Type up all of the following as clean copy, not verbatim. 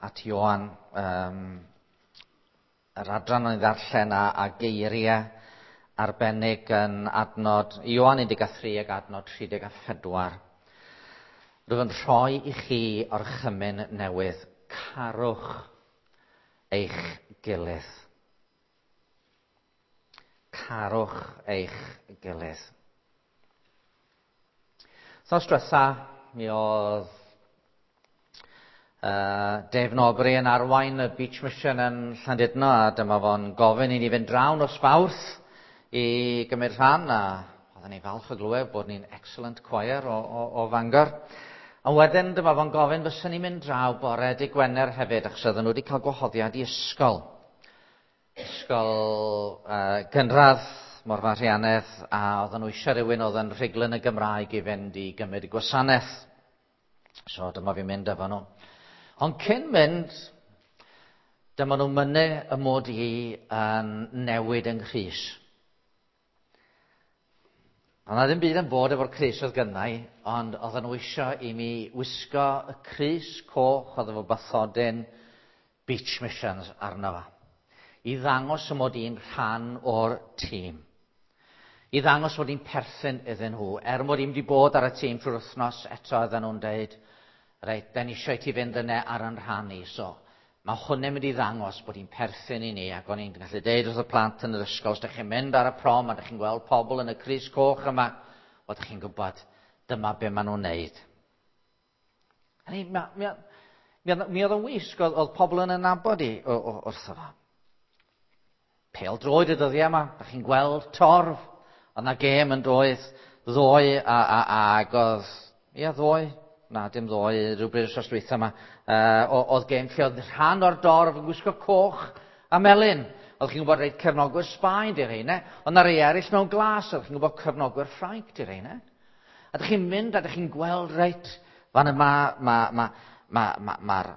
at Ioan, yr adran o'n i ddarllen a geiriau arbennig yn adnod Ioan 13 ac adnod 34. Rwyf yn rhoi i chi orchymyn newydd, carwch eich gilydd. Carwch eich gilydd. Wythnos diwetha, mi oedd Dave Norbury yn arwain y Beach Mission yn Llandudno, a dyma fo'n gofyn i ni fynd draw nos Fawrth i gymryd rhan, a oedden ni falch o glywed bod ni'n excellent choir o Fangor. Ond wedyn dyma fo'n gofyn fysa ni'n mynd draw bore dy Gwener hefyd, achos oedden nhw wedi cael gwahoddiad i ysgol. Ysgol gynradd Morfa Rhianedd, a oedden nhw eisiau rhywun oedd yn rhugl yn y Gymraeg i fynd i gymryd y gwasanaeth. So dyma fi'n mynd efo nhw. Ond cyn mynd, dyma nhw'n mynnu y mod i yn newid yng nghrys. Ond na ddim byd yn bod efo'r crys oedd gynnau, ond oedden nhw eisiau i mi wisgo y crys coch oedd efo bathodyn Beach Missions arno fo. I ddangos y mod i'n rhan o'r tîm. I ddangos mod i'n perthyn iddyn nhw. Er mod i'n wedi bod ar y tîm trwy'r wythnos, eto oedden nhw'n deud, reit, da ni eisiau i ti fynd yna ar yn rhan i. So, mae hwnna'n mynd i ddangos bod i'n perthyn i ni, ac o'n i'n gallu deud wrth y plant yn yr ysgol, os ydych chi'n mynd ar y prom a ydych chi'n gweld pobl yn y crys coch yma, wel, ydych chi'n gwybod, dyma be maen nhw'n neud. Mi oedd yn wisg, oedd pobl yn nabod i wrtho fo. Pêl droed y dyddiau yma, da chi'n gweld torf, oedd yna gêm yn doedd ddoe ag oedd, ia ddoe, na dim ddoe, rhywbryd wythnos dwytha yma, oedd gêm lle oedd rhan o'r dorf yn gwisgo coch a melyn. Oedd chi'n gwybod reit cefnogwyr Sbaen di rheina, oedd na rei eraill mewn glas, oedd chi'n gwybod cefnogwyr Ffrainc di rheina. A dych chi'n mynd a dych chi'n gweld reit, fan yma mae'r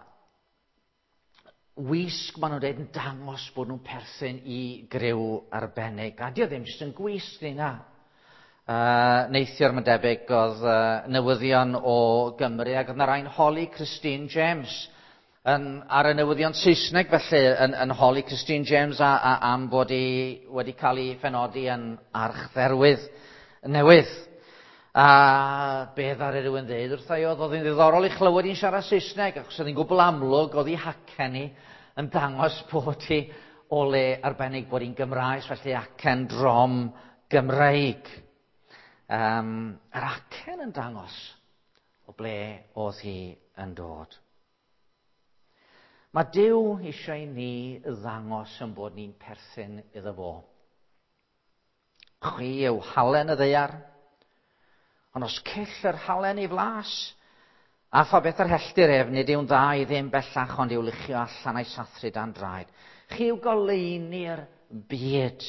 wisg maen nhw'n dweud yn dangos bod nhw'n perthyn i griw arbennig. A dio ddim jyst yn gwisg ni na. Neithiwr mae'n debyg oedd newyddion o Gymru ac oedd na rai'n holi Christine James ar y newyddion Saesneg felly yn holi Christine James am bod hi wedi cael ei phenodi yn archdderwydd newydd. A be ddaru rhywun ddeud wrtha i oedd hi'n ddiddorol i chlywed hi'n siarad Saesneg, achos oedd hi'n gwbl amlwg oedd hi hacen hi yn dangos bod hi o le arbennig bod hi'n Gymraes, felly acen drom Gymreig. Yr acen yn dangos o ble oedd hi yn dod. Mae Duw eisiau ni ddangos yn bod ni'n perthyn iddo fo. Chwi yw halen y ddaear, ond os cyll yr halen ei flas, a pha beth yr helltir ef, nid yw'n dda i ddim bellach ond i'w luchio allan a'i sathru dan draed. Chi yw goleuni'r byd.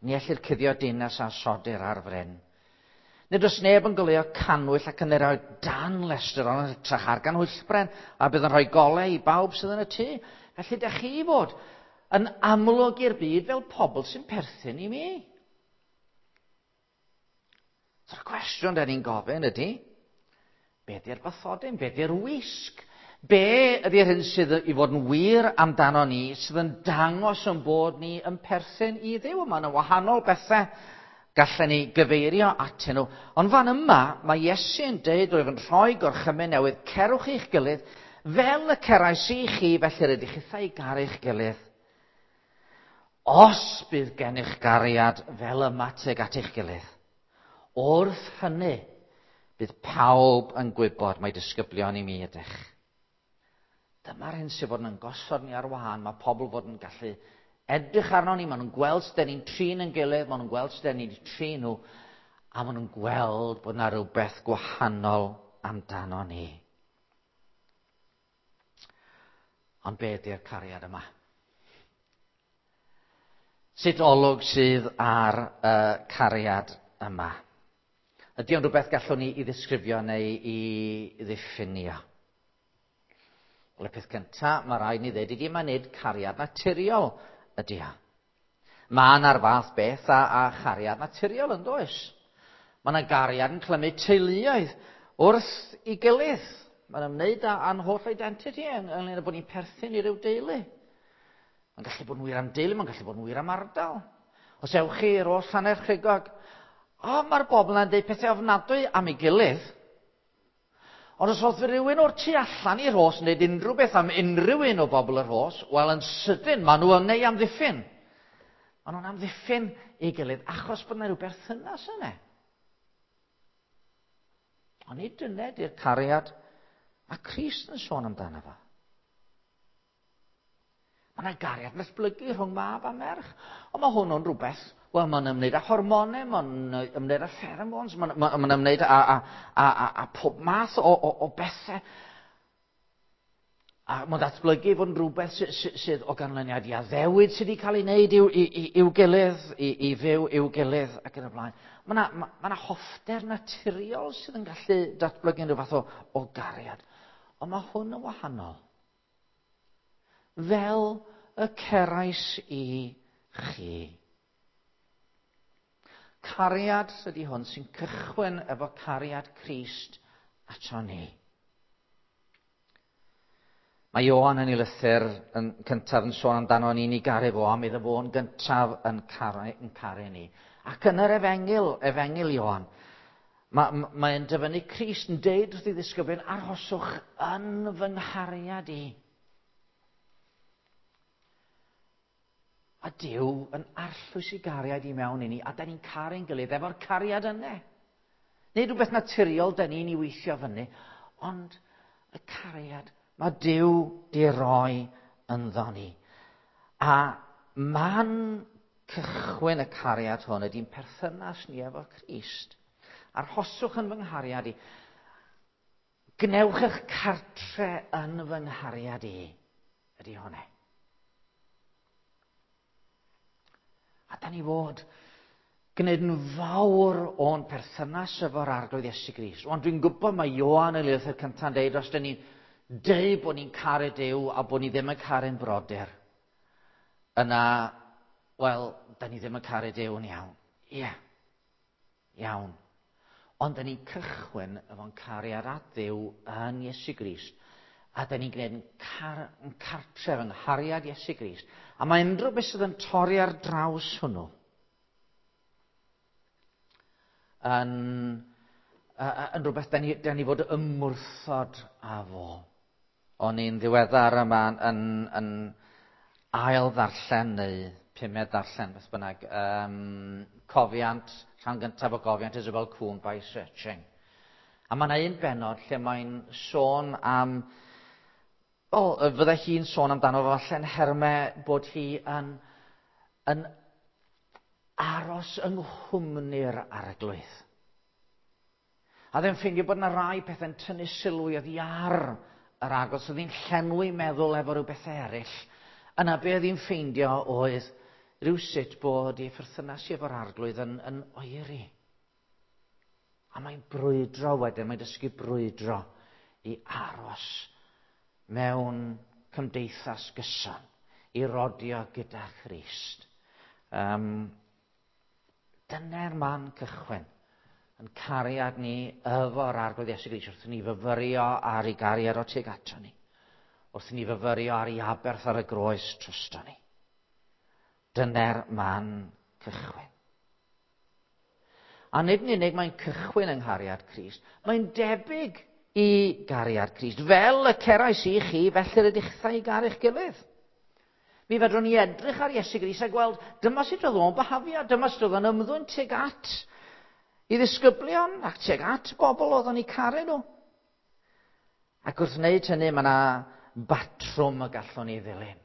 Ni ellir cuddio dinas a sodir ar fryn. Nid oes neb yn goleuo cannwyll ac yn ei roi dan lestr, ond yn hytrach ar ganhwyllbren, a bydd yn rhoi golau i bawb sydd yn y tŷ. Felly dych chi fod yn amlwg i'r byd fel pobl sy'n perthyn i mi. So'r cwestiwn da ni'n gofyn ydy, be ydy'r bathodyn, be ydy'r wisg? Be ydy'r hyn sydd i fod yn wir amdano ni, sydd yn dangos yn bod ni yn perthyn i Dduw? Mae yna wahanol bethau gallen ni gyfeirio atyn nhw. Ond fan yma, mae Iesu yn deud, rwyf yn rhoi gorchymyn newydd, cerwch eich gilydd, fel y cerais i chi, felly rydych chithau i garu eich gilydd. Os bydd gennych gariad fel yma tuag at eich gilydd, wrth hynny, bydd pawb yn gwybod mai disgyblion i mi ydych. Dyma'r hyn sydd fod yn gosod ni ar wahân. Mae pobl fod yn gallu edrych arno ni, maen nhw'n gweld sut ni'n trin yn gilydd, maen nhw'n gweld sut ni'n trin nhw, a maen nhw'n gweld bod yna rhywbeth gwahanol amdano ni. Ond be ydy'r cariad yma? Sut olwg sydd ar y cariad yma? Ydy o'n rhywbeth gallwn ni i ddisgrifio neu i ddiffinio? Wel, y peth cyntaf, mae rhaid ni ddweud ydy, mae nid cariad naturiol ydy o. Mae yna'r fath beth a chariad naturiol yn does. Mae yna gariad yn clymu teuluoedd wrth ei gilydd. Mae'n ymwneud â'n holl identity ynglyn â bod ni'n perthyn i ryw deulu. Mae'n gallu bod yn wir am deulu, mae'n gallu bod yn wir am ardal. Os ewch chi i'r oll Llanerchrugog, o, mae'r bobl yna'n dweud pethau ofnadwy am ei gilydd. Ond os oedd rhywun o'r tu allan i'r Rhos yn dweud unrhyw beth am unrhyw un o bobl y Rhos, wel yn sydyn, maen nhw yn ei amddiffyn. Maen nhw'n amddiffyn ei gilydd achos bod yna rhyw berthynas yna. Ond nid dyna ydy'r cariad mae Crist yn sôn amdano fo. Mae yna gariad datblygu rhwng mab a merch. Ond mae hwnnw'n rhywbeth, wel, mae'n ymwneud â hormonau, mae'n ymwneud â pheromones, mae'n ma, ma ymwneud â pob math o bethau. A mae'n datblygu fod yn rhywbeth sydd o ganlyniad i addewid sydd wedi cael ei wneud i'w gilydd, i fyw i'w gilydd ac yn y blaen. Mae yna ma hoffter naturiol sydd yn gallu datblygu rhyw fath o gariad. Ond mae hwn yn wahanol. Fel y cerais i chi. Cariad ydy hwn sy'n cychwyn efo cariad Crist ato ni. Mae Ioan yn ei lythyr yn cyntaf yn sôn amdano ni'n ei garu fo, am iddo fo'n gyntaf yn caru ni. Ac yn yr efengyl Ioan, mae'n dyfynnu Crist yn deud wrth ei ddisgyblion, arhoswch yn fy nghariad i. A Duw yn arllwys i gariad i mewn i ni, a da ni'n caru'n gilydd efo'r cariad yna. Nid rhywbeth naturiol da ni'n ei weithio fyny, ond y cariad mae Duw di roi ynddo ni. A man cychwyn y cariad hwn ydy'n perthynas ni efo Crist. Arhoswch yn fy nghariad i. Gwnewch eich cartre yn fy nghariad i. Ydy hwnna. A da ni fod gwneud yn fawr o'n perthynas efo'r Arglwydd Iesu Grist. Ond dwi'n gwybod mae Ioan y lythyr cyntaf yn deud, os da ni'n deud bod ni'n caru Duw a bod ni ddim yn caru'n brodyr, yna, wel, da ni ddim yn caru Duw yn iawn. Ie, iawn. Ond da ni'n cychwyn efo'n cariad at Dduw yn Iesu Grist. A da ni'n gwneud yn cartref yng nghariad Iesu Grist. A mae unrhyw beth sydd yn torri ar draws hwnnw yn rhywbeth da ni fod ymwrthod â fo. O'n i'n ddiweddar yma yn ail ddarllen neu pumed ddarllen, beth bynnag, cofiant, rhan gyntaf o gofiant Isabel Kuhn by Searching. A mae yna un bennod lle mae'n sôn am, fydde hi'n sôn amdano falle'n nhermau bod hi yn aros yng nghwmni'r Arglwydd. A ddim ffeindio bod yna rai pethau'n tynnu sylw i oddi ar yr Arglwydd, so oedd hi'n llenwi meddwl efo rhyw bethau eraill. Yna be oedd hi'n ffeindio oedd rhywsut bod ei pherthynas hi efo'r Arglwydd yn oeri. A mae'n brwydro wedyn, mae'n dysgu brwydro i aros mewn cymdeithas gyson, i rodio gyda Christ. Dyna'r man cychwyn, yn cariad ni efo'r Arglwydd Iesu Grist, wrth ni fyfyrio ar ei gariad o tuag ato ni, wrth ni fyfyrio ar ei aberth ar y groes drosto ni. Dyna'r man cychwyn. A nid yn unig mae'n cychwyn yng nghariad Crist, mae'n debyg i gariad Crist. Fel y cerais i chi, felly rydych chi'ch i garu'ch gilydd. Mi fedrwn ni edrych ar Iesu Grist a gweld dyma sut oedd o'n byhafio, dyma sut oedd o'n ymddwyn tuag at i ddisgyblion ac tuag at bobl oedd o'n eu caru nhw. Ac wrth wneud hynny, mae yna batrwm y gallwn ni ddilyn.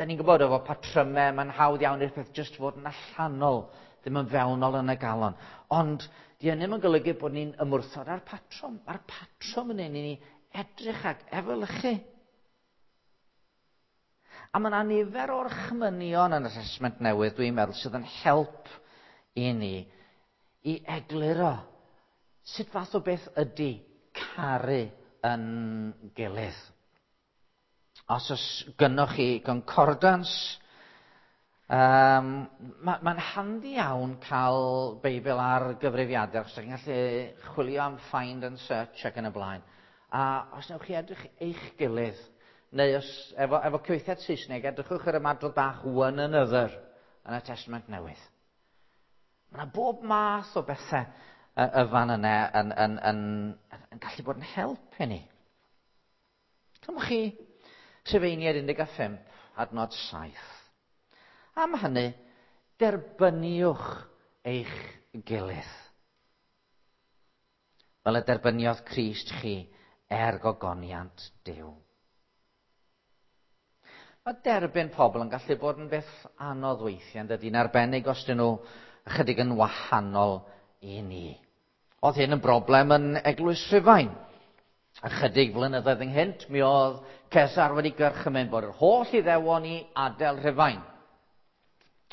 Da ni'n gwybod efo patrymau, mae'n hawdd iawn i'r peth jyst fod yn allanol, ddim yn fewnol yn y galon. Ond di hynny ddim yn golygu bod ni'n ymwrthod â'r patrwm. Mae'r patrwm yn ein i ni edrych ac efelychu. A mae yna nifer o'r chmynion yn y Testament Newydd, dwi'n meddwl, sydd yn help i ni i egluro sut fath o beth ydy caru yn gilydd. Os oes gynnoch chi concordance, mae'n handi iawn cael Beibl ar gyfrifiadur, achos chi'n gallu chwilio am find and search ac yn y blaen. A os newch chi edrych eich gilydd, neu os, efo cyfieithiad Saesneg, edrychwch ar ymadrodd bach "one another" yn y Testament Newydd. Mae yna bob math o bethau y fan yna yn gallu bod yn help i ni. Cymwch chi Rhufeiniaid 15, adnod 7. Am hynny, derbyniwch eich gilydd, fel y derbyniodd Crist chi er gogoniant Duw. Mae derbyn pobl yn gallu bod yn beth anodd weithiau, yn dydy, yn arbennig os dyn nhw ychydig yn wahanol i ni. Oedd hyn yn broblem yn Eglwys Rhufain. Ychydig flynyddoedd ynghynt, mi oedd Cesar wedi gorchymyn bod yr holl Iddewon i adael Rhufain.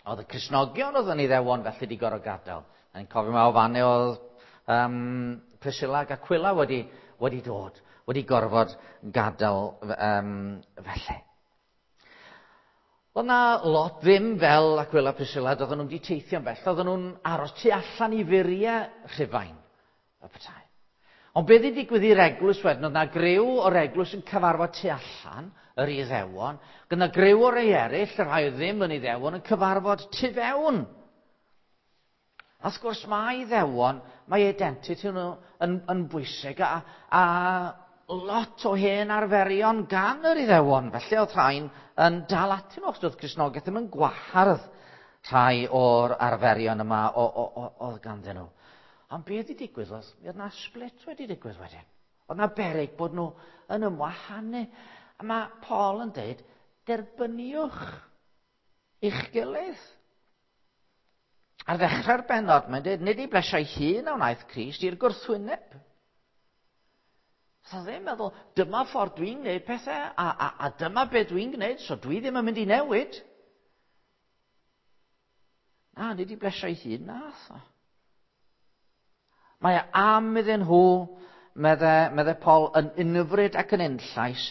Oedd y Cristnogion oedd yn Iddewon felly wedi gorfod gadael. Ni'n cofio mae o fan oedd Priscilla ac Aquila wedi dod, wedi gorfod gadael felly. Oedd na lot ddim fel Aquila a Priscilla, doedden nhw'n wedi teithio'n bell, oedden nhw'n aros tu allan i furiau Rhufain, y petai. Ond beth wedi digwydd i'r eglwys wedyn, oedd na griw o'r eglwys yn cyfarfod tu allan, yr Iddewon, gyda griw o'r rhai eraill, y rhai oedd ddim yn Iddewon, yn cyfarfod tu fewn. A wrth gwrs mae Iddewon, mae identity nhw yn bwysig a lot o hen arferion gan yr Iddewon. Felly oedd rhain yn dal atyn nhw, achos doedd Cristnogaeth ddim yn gwahardd rhai o'r arferion yma oedd ganddyn nhw. Ond beth wedi digwydd oedd, mi oedd na split wedi digwydd wedyn. Oedd na beryg bod nhw yn ymwahanu. A mae Paul yn dweud, derbyniwch eich gilydd. Ar ddechrau'r bennod, mae'n dweud, nid i blesio'i hun a wnaeth Crist, i'r gwrthwyneb. So ddim meddwl, dyma ffordd dwi'n gwneud pethau, a dyma beth dwi'n gwneud, so dwi ddim yn mynd i newid. Na, nid i blesio'i hun, nath o. Mae am iddyn nhw, medde Paul, yn unfryd ac yn unllais,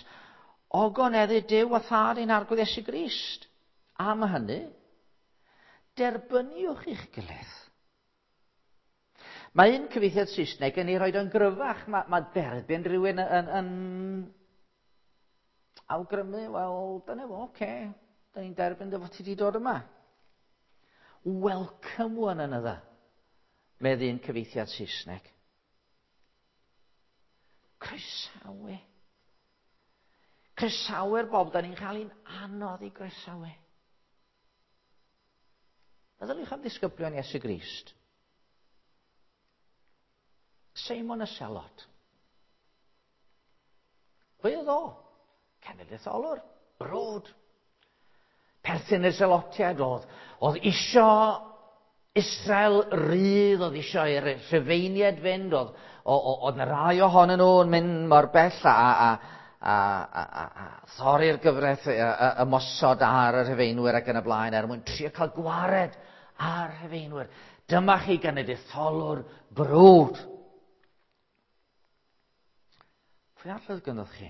ogoneddu Duw a Thad ein Arglwydd Iesu Grist. Am hynny, derbyniwch eich gilydd. Mae un cyfieithiad Saesneg yn ei roed o'n gryfach. Mae derbyn rhywun yn awgrymu, wel, dyna fo, oce, da ni'n derbyn dy fod ti wedi dod yma. "Welcome one another", medd un cyfieithiad Saesneg. Croesawu. Croesawu'r bobl da ni'n cael ein anodd i groesawu. Meddyliwch am ddisgyblion Iesu Grist. Seimon y Selot. Pwy oedd o? Cenedlaetholwr, brwd. Perthyn y Selotiaid oedd isio Israel rydd, oedd isio i'r Rhufeiniaid fynd, oedd na rai ohonyn nhw yn mynd mor bell a thorri'r gyfraith, ymosod ar y Rhufeinwyr ac yn y blaen er mwyn trio cael gwared ar Rhufeinwyr. Dyma chi genedlaetholwr brwd. Pwy arall oedd gynnoch chi?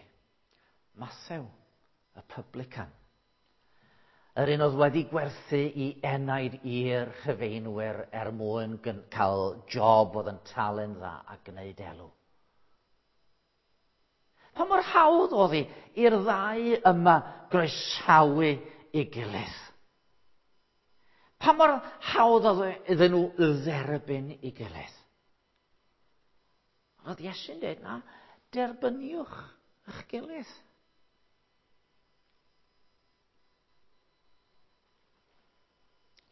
Mathew, y publican. Yr un oedd wedi gwerthu i enaid i'r Rhufeinwyr er mwyn cael job oedd yn talu'n dda a gwneud elw. Pa mor hawdd oedd hi i'r ddau yma groesawu ei gilydd? Pa mor hawdd oedd iddyn nhw dderbyn ei gilydd? Oedd Iesu'n dweud, na, derbyniwch eich gilydd.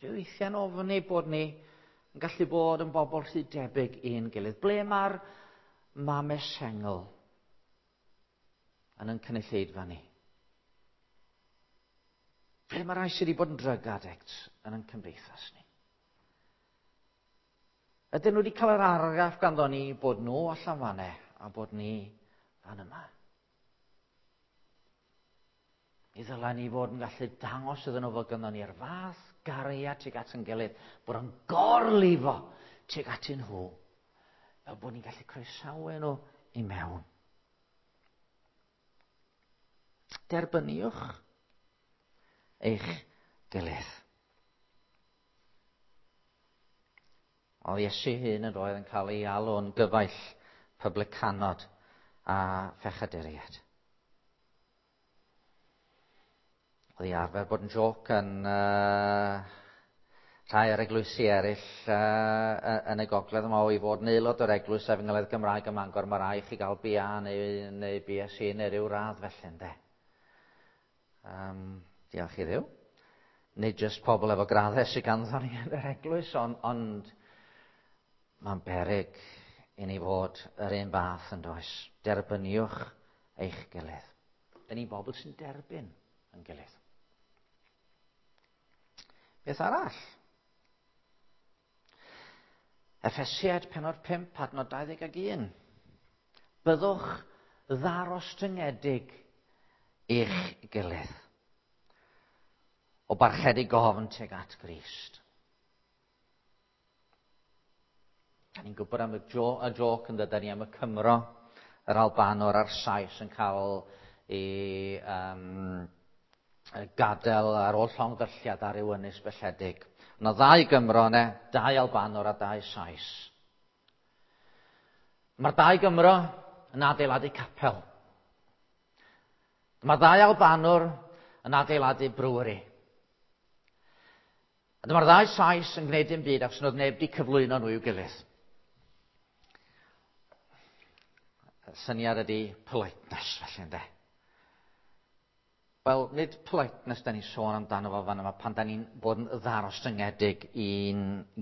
Dwi weithiau'n ofni bod ni yn gallu bod yn bobl rhy debyg i'n gilydd. Ble mae'r mame sengl yn cynulleidfa ni? Ble mae rai sydd wedi bod yn drug addicts yn ein cymdeithas ni? Ydyn nhw wedi cael yr argraff ganddo ni bod nhw allan fanne a bod ni fan yma? Mi ddylai ni fod yn gallu dangos iddyn nhw fod ganddo ni'r fath gariad tuag at yn gilydd, bod yn gorlifo tuag atyn nhw, fel bod ni'n gallu croesawu nhw i mewn. Derbyniwch eich gilydd. Oedd Iesu hun yn roedd yn cael ei alw'n gyfaill publicanod a phechaduriaid. Oedd hi arfer bod yn joc yn rhai o'r eglwysi eraill yn y gogledd yma o i fod yn aelod o'r eglwys Efengylaidd Gymraeg ym Mangor, mae rhaid chi gael BA neu BSc neu ryw radd felly, ynde. Diolch i Dduw. Nid jyst pobl efo graddau sydd ganddo ni yn yr eglwys, ond mae'n beryg i ni fod yr un fath yn does. Derbyniwch eich gilydd. Dyn ni'n bobl sy'n derbyn yn gilydd. Beth arall? Effesiaid pennod 5, adnod 21. Byddwch ddarostyngedig i'ch gilydd. O barchedig ofn tuag at Grist. Da ni'n gwybod am y joc yn dydyn ni am y Cymro, yr Albanwr a'r Sais yn cael ei gadael ar ôl llongddylliad ar ryw ynys belledig. Yna ddau Gymro yna, dau Albanwr a dau Sais. Mae'r dau Gymro yn adeiladu capel. Mae'r ddau Albanwr yn adeiladu brewery. A dyma'r ddau Sais yn gwneud dim byd achos nhw neb wedi cyflwyno nhw i'w gilydd. Syniad ydy politeness, felly, ynde? Wel, nid politeness da ni'n sôn amdano fo fan yma pan da ni'n bod yn ddarostyngedig i'n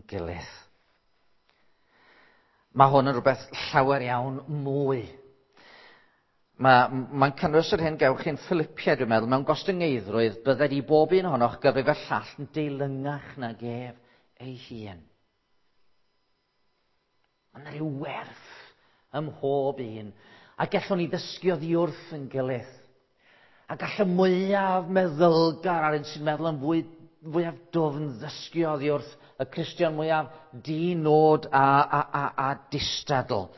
gilydd. Mae hwn yn rhywbeth llawer iawn mwy. Mae'n cynnwys yr hyn gewch chi'n Philippiaid, dwi'n meddwl, mewn gostyngeiddrwydd, bydded i bob un ohonoch gyfrif y llall yn deilyngach nag ef ei hun. Mae yna rhyw werth ym mhob un, a gallwn ni ddysgu oddi wrth yn gilydd. A gall y mwyaf meddylgar a'r un sy'n meddwl yn fwyaf dwfn ddysgu oddi wrth y Cristion mwyaf di-nod a distadl.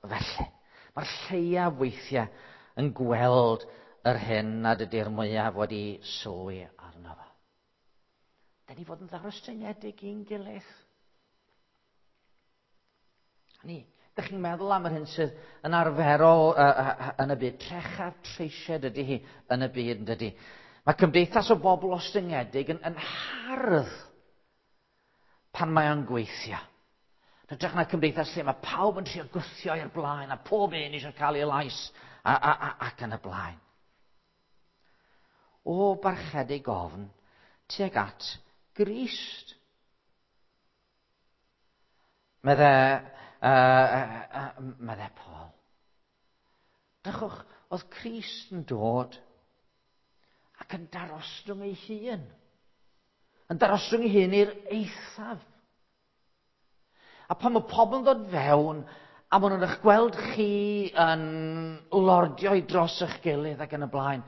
Felly, mae'r lleiaf weithiau yn gweld yr hyn nad ydy'r mwyaf wedi sylwi arno fo. Da ni fod yn ddarostyngedig i'n gilydd. Ni, dych chi'n meddwl am yr hyn sydd yn arferol yn y byd. Trechaf treisied ydy hi yn y byd, yn dydy. Mae cymdeithas o bobl ostyngedig yn hardd pan mae o'n gweithio. Yn hytrach na cymdeithas lle mae pawb yn trio gwthio i'r blaen a pob un eisiau cael ei lais ac yn y blaen. O barchedig ofn tuag at Grist. Medde Paul. Drychwch, oedd Crist yn dod ac yn darostwng ei hun. Yn darostwng ei hun i'r eithaf. A pan mae pobl yn dod fewn, a maen nhw'n eich gweld chi yn lordio i dros eich gilydd ac yn y blaen,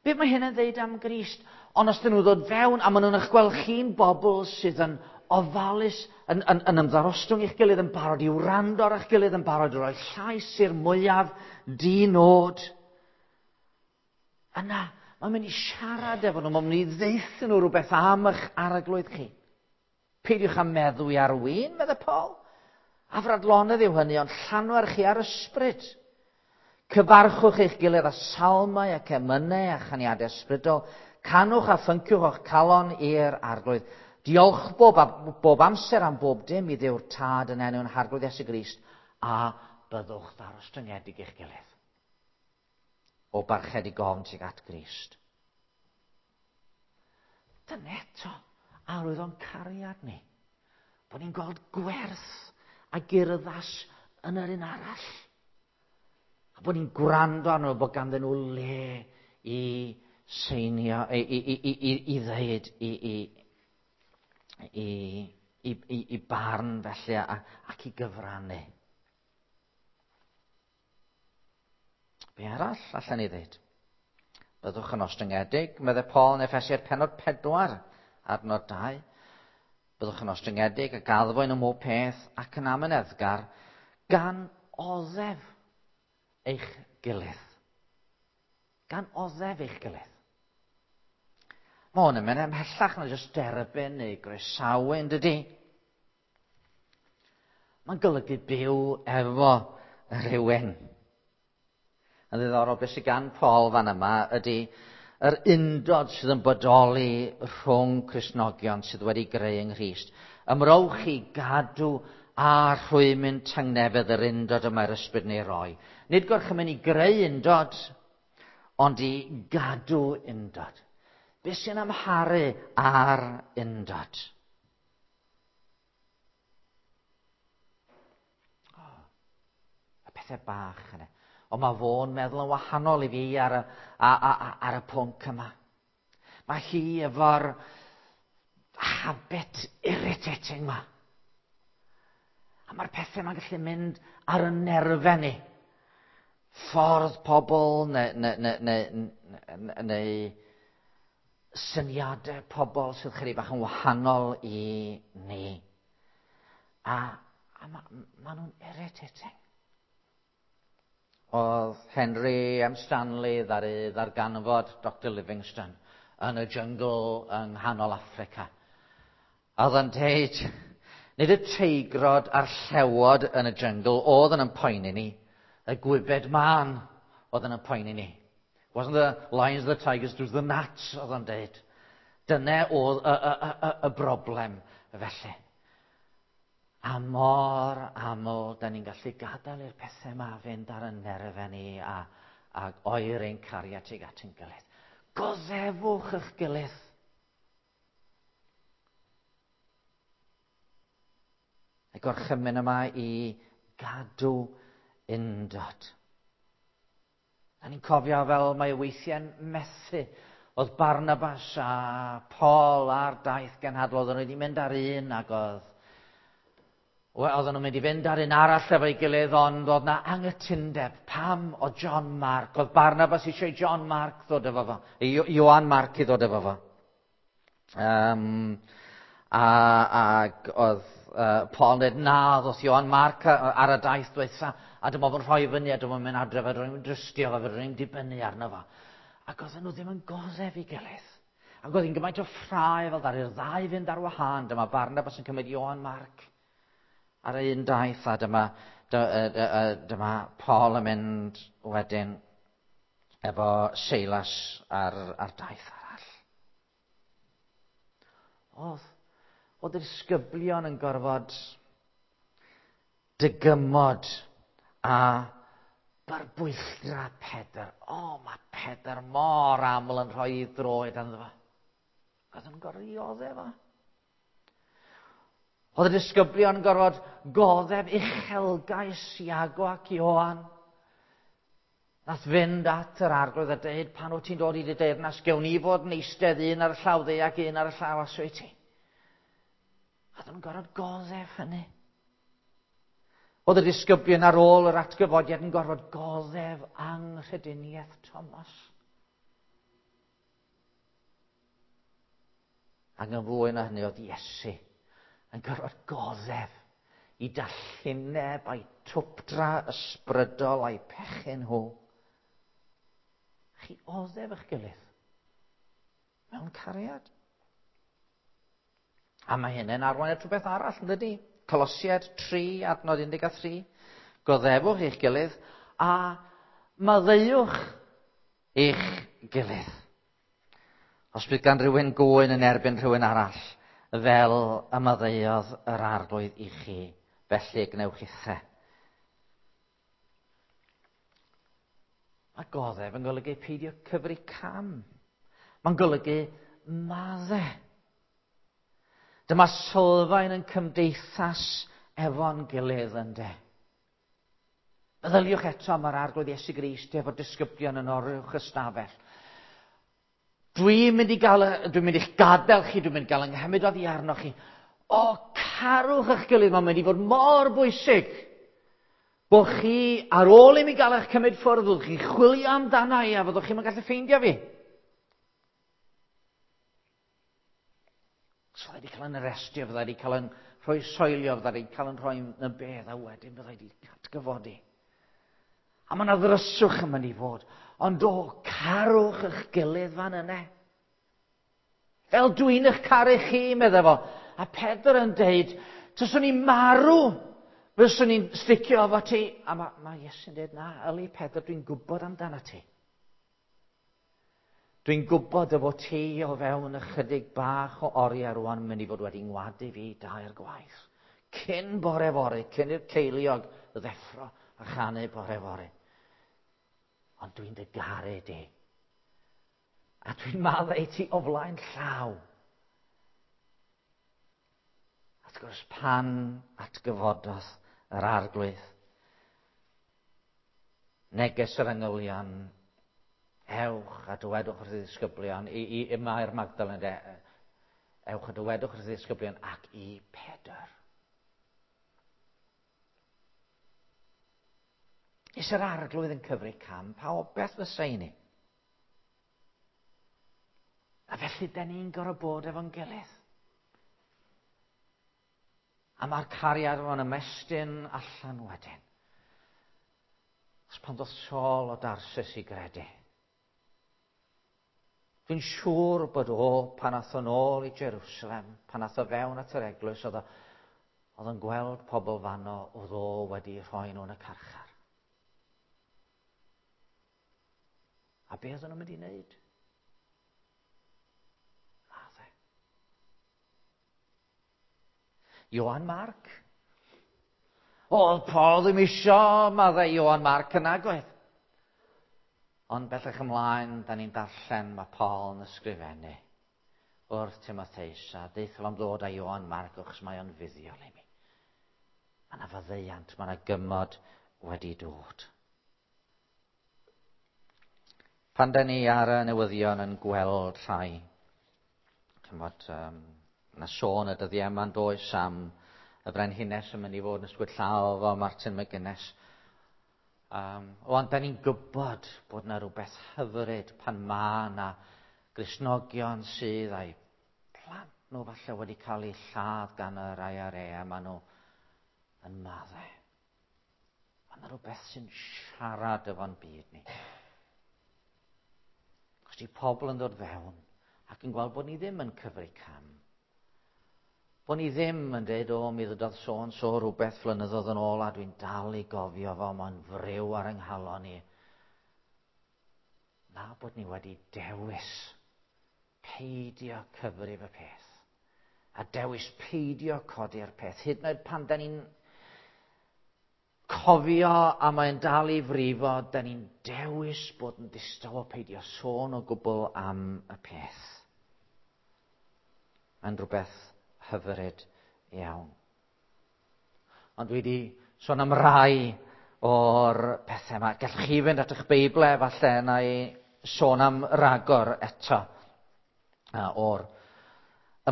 beth mae hyn yn ddeud am Grist? Ond os dyn nhw'n dod fewn a maen nhw'n eich gweld chi'n bobl sydd yn ofalus, yn ymddarostwng eich gilydd, yn barod i wrando ar eich gilydd, yn barod i roi llais i'r mwyaf di-nod, yna, mae'n mynd i siarad efo nhw, mae'n mynd i ddeuthu nhw rhywbeth am eich arglwydd chi. Peidiwch â meddwi ar win, medde Paul. Afradlonedd yw hynny, ond llanwer chi ar ysbryd. Cyfarchwch eich gilydd â salmau ac emynau a chaniadau ysbrydol. Canwch a phynciwch o'ch calon i'r arglwydd. Diolch bob amser am bob dim i Dduw'r Tad yn enw'n Harglwydd Iesu Grist, a byddwch ddarostyngedig i'ch gilydd. O barchedig ofn tuag at Grist. Dyna eto arwydd o'n cariad ni. Bod ni'n gweld gwerth a gurddas yn yr un arall. A bod ni'n gwrando arno bod ganddyn nhw le i seinio, i ddeud, i barn felly ac i gyfrannu. Be arall allan ni ddeud? Byddwch yn ostyngedig, medde Paul yn Effesiaid pennod 4, adnod 2. Byddwch yn ostyngedig ac addfwyn ym mhob peth ac yn amyneddgar gan oddef eich gilydd. Gan oddef eich gilydd. Mae hwn yn mynd ymhellach na jyst derbyn neu groesawu, yn dydy? Mae'n golygu byw efo rhywun. Yn ddiddorol, beth sydd gan Paul fan yma ydy yr undod sydd yn bodoli rhwng Cristnogion sydd wedi greu yng Nghrist. Ymrowch i gadw a rhwymyn tangnefedd yr undod y mae'r ysbryd yn ei roi. Nid gorchymyn i greu undod, ond i gadw undod. Beth sy'n amharu ar undod? Oh, y pethau bach yna. Ond mae fo'n meddwl yn wahanol i fi ar y, a, a, ar y pwnc yma. Mae hi efo'r habit irritating ma. A mae'r pethau yma'n gallu mynd ar y nerfau ni. Ffordd pobl neu, neu, neu, neu, neu syniadau pobl sydd chydig bach yn wahanol i ni. A, a ma, ma nhw'n irritating. Oedd Henry M. Stanley ddaru ddarganfod Dr Livingstone yn y jyngl yng nghanol Affrica. A oedd yn deud, nid y teigrod a'r llewod yn y jyngl oedd yn poeni ni, y gwybed mân oedd yn poeni ni. Wasn't the lions, the tigers, it was the gnats, oedd yn deud. Dyna oedd y, y, y, y broblem felly. A mor aml, da ni'n gallu gadael i'r pethau yma fynd ar y nerfau ni a, a oer ein cariad tuag at ein gilydd. Goddefwch eich gilydd. Y gorchymyn yma i gadw undod. Da ni'n cofio fel mae weithiau'n methu. Oedd Barnabas a Paul ar daith genhadol, oedden nhw wedi mynd ar un ac oedd Wel, oedden nhw'n mynd i fynd ar un arall efo'i gilydd, ond oedd na anghytundeb. Pam o John Mark? Oedd Barnabas eisiau John Mark ddod efo fo. Ioan Mark i ddod efo fo. Um, a, ac oedd uh, Paul yn dweud, na, ddoth Ioan Mark ar y daith dweitha, a dyma fo'n rhoi fyny, a dyma fo'n mynd adref, a dyma fo'n drystio fo, fedrwn i'n dibynnu arno fo. Ac oedden nhw ddim yn goddef i gilydd. Ac oedd hi'n gymaint o ffrae fel ddaru'r ddau fynd ar wahân. Dyma Barnabas yn cymryd Ioan Mark ar un daith a dyma, dyma Paul yn mynd wedyn efo Silas ar, ar daith arall. Oedd, oedd y disgyblion yn gorfod dygymod a barbwylltra Pedr. O, oh, mae Pedr mor aml yn rhoi ei droed arno fo. Oedd yn gorfod i oddef fo. Oedd y disgyblion yn gorfod goddef uchelgais Iago ac Ioan. Nath fynd at yr arglwydd a dweud, pan wyt ti'n dod i dy deyrnas, gewn ni fod yn eistedd un ar y llaw dde ac un ar y llaw aswy ti. A nhw'n gorfod goddef hynny. Oedd y disgyblion ar ôl yr atgyfodiad yn gorfod goddef anghrediniaeth Thomas. Ac yn fwy na hynny oedd Iesu yn gorfod goddef i dallineb a'i twpdra ysbrydol a'i pechu nhw. Chi oddef eich gilydd mewn cariad. A mae hynny'n arwain at rhywbeth arall, yn dydy? Colosiaid 3, adnod 13. Goddefwch eich gilydd a maddeuwch eich gilydd. Os bydd gan rhywun gŵyn yn erbyn rhywun arall, fel y maddeuodd yr arglwydd i chi, felly gwnewch ithe. Mae goddef yn golygu peidio cyfri cam. Mae'n golygu madde. Dyma sylfaen yn cymdeithas efo'n gilydd ynde. Meddyliwch eto am yr arglwydd Iesu Grist efo disgyblion yn oruwch ystafell. Dwi'n mynd i gael, dwi'n mynd i'ch gadael chi, dwi'n mynd i gael yng nghymryd oddi arnoch chi. O, carwch eich gilydd, mae'n mynd i fod mor bwysig. Bo chi, ar ôl i mi gael eich cymryd ffwrdd, fyddwch chi'n chwilio amdana i a fyddwch chi'n gallu ffeindio fi. So fydda wedi cael yn arestio, fydda wedi cael yn rhoi soilio, fydda wedi cael yn rhoi yn y bedd a wedyn fydda wedi atgyfodi. A mae yna ddryswch yn mynd i fod. Ond o, carwch eich gilydd fan yna. Fel dwi'n eich caru chi, meddai fo. A Pedr yn deud, tyswn i marw Fyswn i'n sticio efo ti. A mae Iesu'n dweud, na, yli Pedr, dwi'n gwybod amdano ti. Dwi'n gwybod y fod ti o fewn ychydig bach o oriau rwan mynd i fod wedi ngwadu fi dair gwaith. Cyn bore fory, cyn i'r ceiliog ddeffro a chanu bore fory. Ond dwi'n dy garu di. A dwi'n maddau ti o flaen llaw. Wrth gwrs, pan atgyfododd yr Arglwydd, neges yr angylion, ewch a dywedwch wrth y ddisgyblion, i Mair Magdalen, de, ewch a dywedwch wrth y ddisgyblion ac i Pedr. Is yr Arglwydd yn cyfri cam, pa obaith fysa i ni? A felly, da ni'n gorfod bod efo'n gilydd. A mae'r cariad yma'n ymestyn allan wedyn. Os pan ddoth Saul o Darsus i gredu. Dwi'n siŵr bod o, pan ath o'n ôl i Jerusalem, pan ath o fewn at yr eglwys, oedd o'n gweld pobl fanno oedd o wedi rhoi nhw yn y carchar. A be oedden nhw'n mynd i wneud? Madde. Ioan Marc. Oedd Paul ddim isio maddau Ioan Marc yna, goedd. Ond bellach ymlaen, da ni'n darllen, mae Paul yn ysgrifennu wrth Timotheus a deutha am ddod â Ioan Marc achos mae o'n fuddiol i mi. Mae yna faddeuant, mae yna gymod wedi dod. Pan da ni ar y newyddion yn gweld rhai, chymod, yna sôn y dyddiau yma'n does am y frenhines yn mynd i fod yn ysgwyd llaw efo Martin McGuinness. Ond da ni'n gwybod bod yna rhywbeth hyfryd pan mae yna Gristnogion sydd a'u plant nhw falle wedi cael eu lladd gan yr IRA a maen nhw yn maddau. Mae yna rhywbeth sy'n siarad efo'n byd ni. Os di pobl yn dod fewn ac yn gweld bod ni ddim yn cyfri cam. Bod ni ddim yn dweud, o, mi ddydodd so-and-so rhywbeth flynyddoedd yn ôl a dwi'n dal i gofio fo, mae'n friw ar yng nghalon i. Na bod ni wedi dewis peidio cyfrif y peth. A dewis peidio codi'r peth. Hyd yn oed pan da ni'n cofio a mae'n dal i frifo, da ni'n dewis bod yn ddistaw o peidio sôn o gwbl am y peth. Mae'n rhywbeth hyfryd iawn. Ond dwi wedi sôn am rai o'r pethau yma. Gallwch chi fynd at eich Beiblau, falle, na i sôn am ragor eto o'r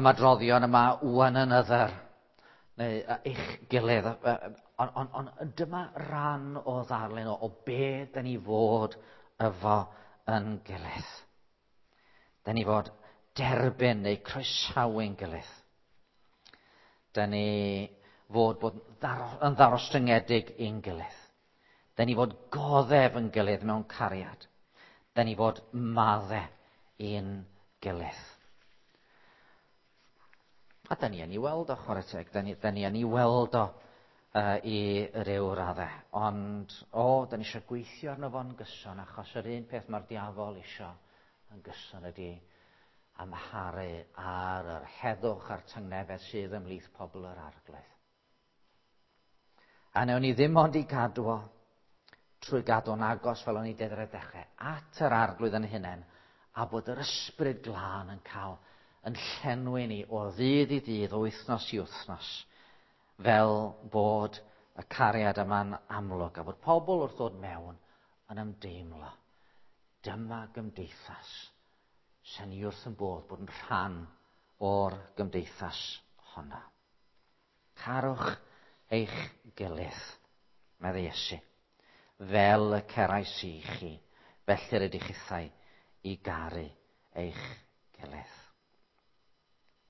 ymadroddion yma, one another, neu eich gilydd. Ond dyma ran o ddarlun o be da ni fod efo yn gilydd. Da ni fod derbyn neu croesawu'n gilydd. Da ni fod bod yn ddarostyngedig i'n gilydd. Da ni fod goddef yn gilydd mewn cariad. Da ni fod madde i'n gilydd. A da ni yn ei weld o, chwarae teg, da ni yn ei weld o i ryw raddau. Ond, da ni eisiau gweithio arno fo'n gyson, achos yr un peth mae'r diafol eisiau yn gyson ydy amharu ar yr heddwch a'r tangnefedd sydd ymhlith pobl yr Arglwydd. A newn ni ddim ond i gadw o trwy gadw'n agos fel o'n i deud ar y dechrau, at yr Arglwydd yn hunain, a bod yr ysbryd glân yn cael yn llenwi ni o ddydd i ddydd, o wythnos i wythnos, fel bod y cariad yma'n amlwg, a bod pobl wrth ddod mewn yn ymdeimlo. Dyma gymdeithas sy'n ni wrth yn bodd bod yn rhan o'r gymdeithas honna. Carwch eich gilydd, meddai Iesu, fel y cerais i chi, felly rydych chithau i garu eich gilydd.